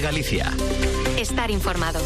de Galicia. Estar informado.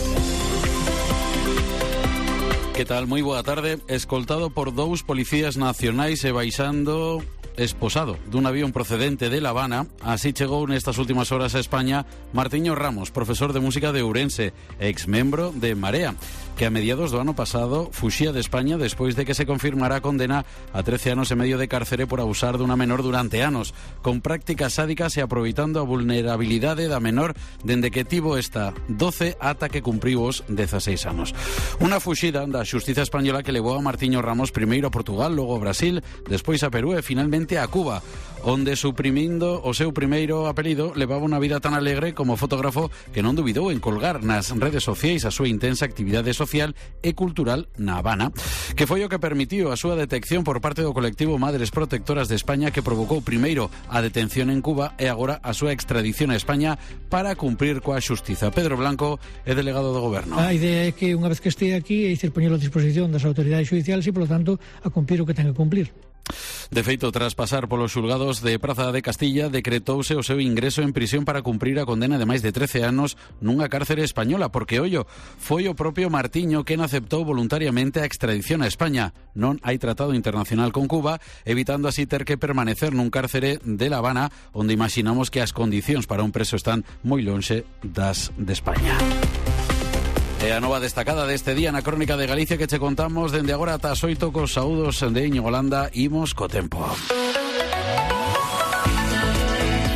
Que tal? Moi boa tarde. Escoltado por 2 policías nacionais e baixando esposado dun avión procedente de La Habana, así chegou nestas últimas horas a España Martiño Ramos, profesor de música de Ourense, ex-membro de Marea, que a mediados do ano pasado fuxía de España despois de que se confirmara a condena a 13 anos e medio de cárcere por abusar dunha menor durante anos, con prácticas sádicas e aproveitando a vulnerabilidade da menor dende que tivo esta 12 ata que cumpriu os 16 anos. Unha fuxida da xustiza española que levou a Martiño Ramos primeiro a Portugal, logo a Brasil, despois a Perú e finalmente a Cuba, onde suprimindo o seu primeiro apelido levaba unha vida tan alegre como fotógrafo que non dubidou en colgar nas redes sociais a súa intensa actividade social e cultural na Habana, que foi o que permitiu a súa detección por parte do colectivo Madres Protectoras de España, que provocou primeiro a detención en Cuba e agora a súa extradición a España para cumprir coa xustiza. Pedro Blanco é delegado do Goberno. A idea é que unha vez que este aquí é poñelo a disposición das autoridades xudiciales e, polo tanto, a cumplir o que ten que cumplir. De feito, tras pasar polos xulgados de Praza de Castilla, decretouse o seu ingreso en prisión para cumprir a condena de máis de 13 anos nunha cárcere española, porque, ollo, foi o propio Martiño quen aceptou voluntariamente a extradición a España. Non hai tratado internacional con Cuba, evitando así ter que permanecer nun cárcere de La Habana, onde imaginamos que as condicións para un preso están moi lonxe das de España. E a nova destacada deste día na Crónica de Galicia que che contamos dende agora ata as 8 cos saúdos de Íñigo Landa. Imos co tempo.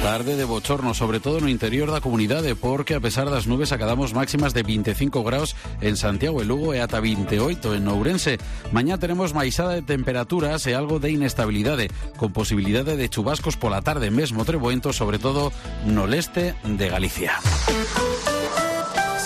Tarde de bochorno, sobre todo no interior da comunidade, porque a pesar das nubes acadamos máximas de 25 graus en Santiago e Lugo e ata 28 en Ourense. Mañá teremos maisada de temperaturas e algo de inestabilidade, con posibilidade de chubascos pola tarde, mesmo treboento, sobre todo no leste de Galicia.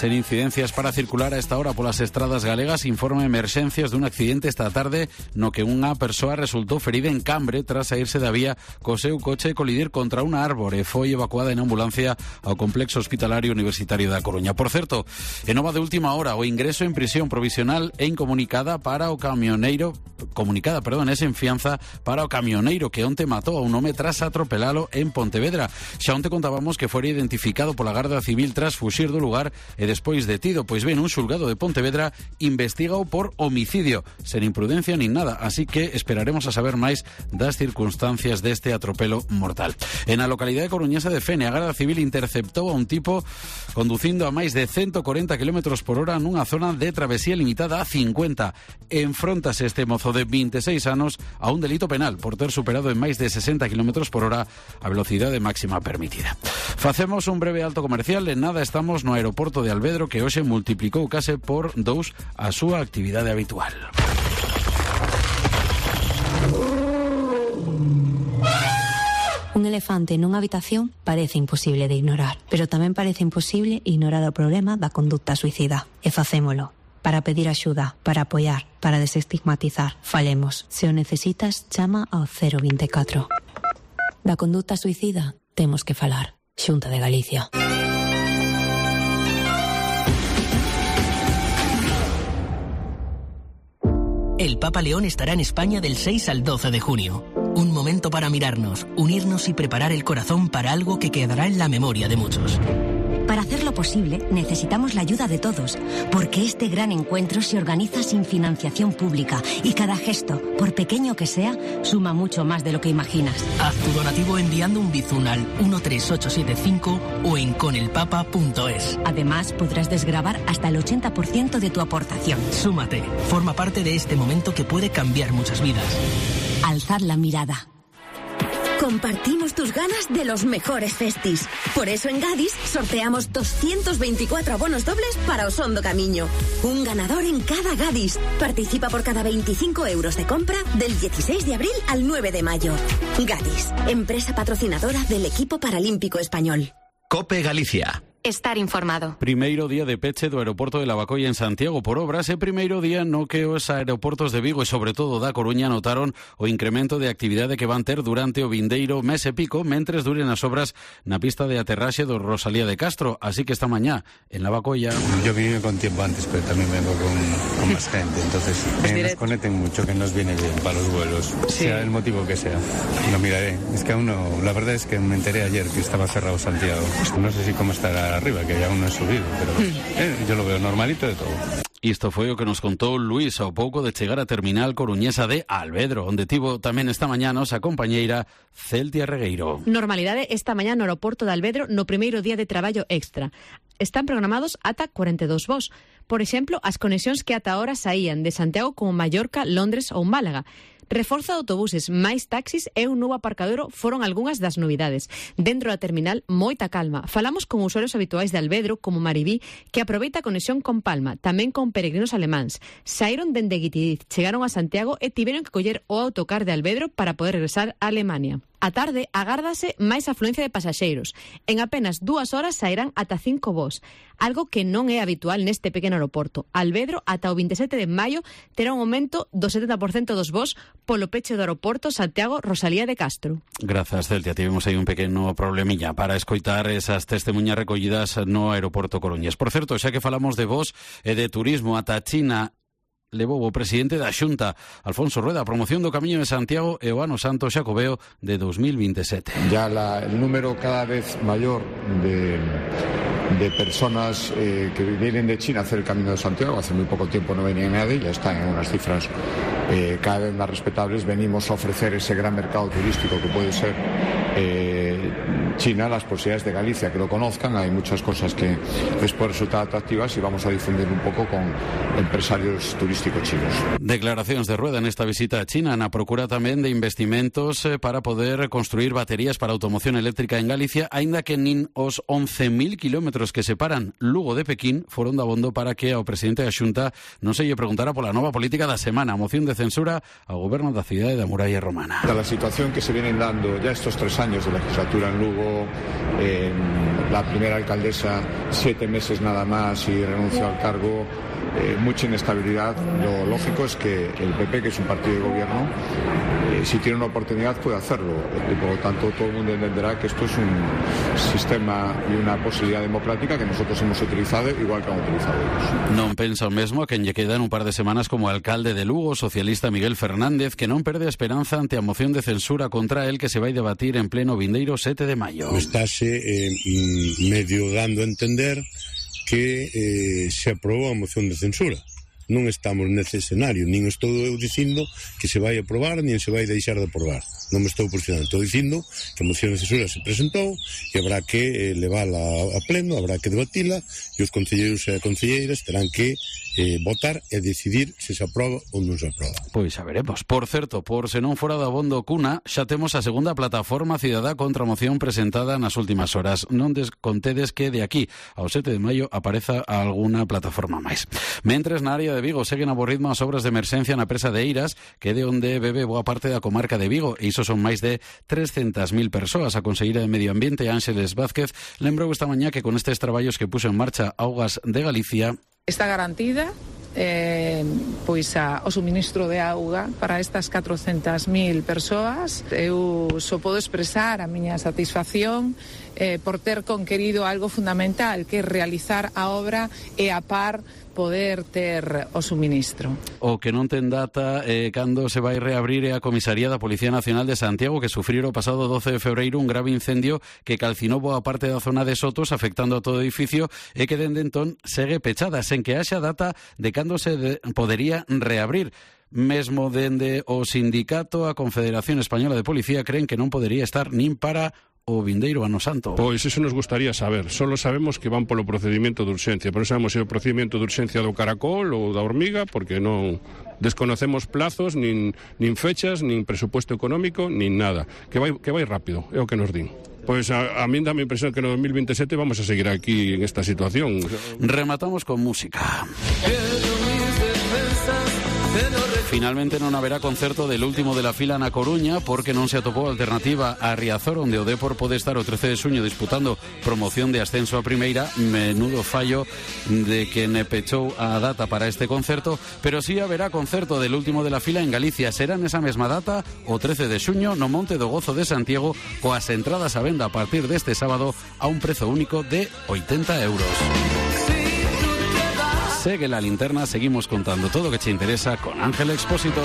Sen incidencias para circular a esta hora polas estradas galegas, informa emerxencias dun accidente esta tarde no que unha persoa resultou ferida en Cambre tras saírse da vía co seu coche e colidir contra unha árbore. Foi evacuada en ambulancia ao complexo hospitalario universitario da Coruña. Por certo, en nova de última hora, o ingreso en prisión provisional e incomunicada para o camioneiro, en fianza para o camioneiro que onte matou a un home tras atropelalo en Pontevedra. Xa onte contábamos que fora identificado pola Garda Civil tras fuxir do lugar e despois detido. Pois ben, un xulgado de Pontevedra investigao por homicidio, sen imprudencia nin nada, así que esperaremos a saber máis das circunstancias deste atropelo mortal. En a localidade coruñesa de Fene, a Garda Civil interceptou a un tipo conducindo a máis de 140 km por hora nunha zona de travesía limitada a 50. Enfróntase este mozo de 26 anos a un delito penal por ter superado en máis de 60 km por hora a velocidade máxima permitida. Facemos un breve alto comercial. En nada estamos no aeroporto de Alvedro, que hoxe multiplicou case por 2 a súa actividade habitual. Un elefante nunha habitación parece imposible de ignorar, pero tamén parece imposible ignorar o problema da conduta suicida. E facémolo. Para pedir axuda, para apoiar, para desestigmatizar. Falemos. Se o necesitas, chama ao 024. Da conduta suicida temos que falar. Xunta de Galicia. El Papa León estará en España del 6 al 12 de junio. Un momento para mirarnos, unirnos y preparar el corazón para algo que quedará en la memoria de muchos. Para hacerlo posible, necesitamos la ayuda de todos, porque este gran encuentro se organiza sin financiación pública y cada gesto, por pequeño que sea, suma mucho más de lo que imaginas. Haz tu donativo enviando un bizun al 13875 o en conelpapa.es. Además, podrás desgravar hasta el 80% de tu aportación. Súmate, forma parte de este momento que puede cambiar muchas vidas. Alzar la mirada. Compartimos tus ganas de los mejores festis. Por eso en Gadis sorteamos 224 abonos dobles para Osondo Camiño. Un ganador en cada Gadis. Participa por cada 25 euros de compra del 16 de abril al 9 de mayo. Gadis, empresa patrocinadora del equipo paralímpico español. COPE Galicia. Estar informado. Primeiro día de peche do aeroporto de Lavacolla en Santiago por obras e primeiro día no que os aeroportos de Vigo e sobre todo da Coruña notaron o incremento de actividade que van ter durante o vindeiro mes e pico mentres duren as obras na pista de aterraxe do Rosalía de Castro. Así que esta mañá en Lavacolla... Yo vine con tiempo antes, pero también vengo con más gente, entonces que nos conecten mucho, que nos viene bien para los vuelos, sea el motivo que sea. Lo miraré. Es que aún no, la verdad es que me enteré ayer que estaba cerrado Santiago. No sé si cómo estará para arriba, que aún no he subido, pero yo lo veo normalito de todo. Isto foi o que nos contou Luís ao pouco de chegar a terminal coruñesa de Alvedro, onde tivo tamén esta mañá nosa compañeira Celtia Regueiro. Normalidade esta mañá no aeroporto de Alvedro no primeiro día de traballo extra. Están programados ata 42 voos. Por exemplo, as conexións que ata ahora saían de Santiago como Mallorca, Londres ou Málaga. Reforzo de autobuses, máis taxis e un novo aparcadero foron algunhas das novidades. Dentro da terminal, moita calma. Falamos con usuarios habituais de Alvedro, como Maribí, que aproveita a conexión con Palma, tamén con peregrinos alemáns. Saíron dende Guitiriz, chegaron a Santiago e tiveron que coller o autocar de Alvedro para poder regresar a Alemania. A tarde, agárdase máis afluencia de pasaxeiros. En apenas 2 horas sairán ata 5 voos, algo que non é habitual neste pequeno aeroporto. Alvedro, ata o 27 de maio, terá un aumento do 70% dos voos polo peche do aeroporto Santiago-Rosalía de Castro. Grazas, Celtia. Tivemos aí un pequeno problemilla para escoitar esas testemunhas recollidas no aeroporto coruñés. Por certo, xa que falamos de voos e de turismo ata China, levou o presidente da Xunta, Alfonso Rueda, a promoción do Camiño de Santiago e o Ano Santo Xacobeo de 2027. Ya el número cada vez mayor de personas que vienen de China a hacer el Camino de Santiago, hace muy poco tiempo no venía nadie, ya están en unas cifras cada vez más respetables. Venimos a ofrecer ese gran mercado turístico que puede ser China, las posibilidades de Galicia, que lo conozcan. Hay muchas cosas que les pueden resultar atractivas y vamos a difundir un poco con empresarios turísticos chinos. Declaracións de Rueda nesta visita a China na procura tamén de investimentos para poder construir baterías para automoción eléctrica en Galicia, aínda que nin os 11.000 kilómetros que separan Lugo de Pequín foron dabondo para que ao presidente da Xunta non se lle preguntara pola nova política da semana, moción de censura ao goberno da cidade da Muralla Romana. La situación que se vienen dando ya estos 3 años de legislatura en Lugo, la primera alcaldesa 7 meses nada más y renunció al cargo, mucha inestabilidad. Lo lógico es que el PP, que es un partido de gobierno, si tiene una oportunidad puede hacerlo, y por lo tanto todo el mundo entenderá que esto es un sistema y una posibilidad democrática que nosotros hemos utilizado igual que han utilizado ellos. Non pensa o mesmo a quen lle quedan un par de semanas como alcalde de Lugo, socialista Miguel Fernández, que non perde a esperanza ante a moción de censura contra el que se vai debatir en pleno vindeiro 7 de maio. Estáse medio dando a entender que se aprobou a moción de censura. Non estamos nese escenario, nin estou eu dicindo que se vai aprobar, nin se vai deixar de aprobar. Non me estou posicionando, estou dicindo que a moción de censura se presentou e habrá que levala a pleno, habrá que debatila e os concelleiros e concelleiras terán que votar e decidir se se aproba ou non se aproba. Pois xa veremos. Por certo, por se non fora da abondo cuna, xa temos a segunda plataforma cidadá contra a moción presentada nas últimas horas. Non descontedes que de aquí ao 7 de maio apareza alguna plataforma máis. Mentres na área de Vigo seguen a bo ritmo as obras de emerxencia na presa de Eiras, que é de onde bebe boa parte da comarca de Vigo, e iso son máis de 300.000 persoas. A conselleira de Medio Ambiente, Ángeles Vázquez, lembrou esta mañá que con estes traballos que puxo en marcha Augas de Galicia está garantida pois o suministro de auga para estas 400.000 persoas. Eu só podo expresar a miña satisfacción por ter conquerido algo fundamental, que é realizar a obra e a par poder ter o suministro. O que non ten data cando se vai reabrir é a comisaría da Policía Nacional de Santiago, que sufriu o pasado 12 de febreiro un grave incendio que calcinou boa parte da zona de Sotos, afectando a todo o edificio, e que dende entón segue pechada, sen que haxa data de cando se podería reabrir. Mesmo dende o sindicato, a Confederación Española de Policía, creen que non podería estar nin para o vindeiro Ano Santo. Pois eso nos gustaría saber. Solo sabemos que van polo procedimento de urxencia, pero sabemos se o procedimento de urxencia do caracol ou da hormiga, porque non desconocemos plazos, nin fechas, nin presupuesto económico, nin nada. Que vai rápido, é o que nos din. Pois a min dá a impresión que no 2027 vamos a seguir aquí en esta situación. Rematamos con música. Finalmente non haberá concerto del último de la fila na Coruña porque non se atopou alternativa a Riazor, onde o Dépor pode estar o 13 de xuño disputando promoción de ascenso a primeira. Menudo fallo de quen pechou a data para este concerto, pero sí haberá concerto del último de la fila en Galicia. Será nesa mesma data, o 13 de xuño, no Monte do Gozo de Santiago, coas entradas a venda a partir deste sábado a un prezo único de 80 euros. Segue la linterna, seguimos contando todo lo que te interesa con Ángel Expósito.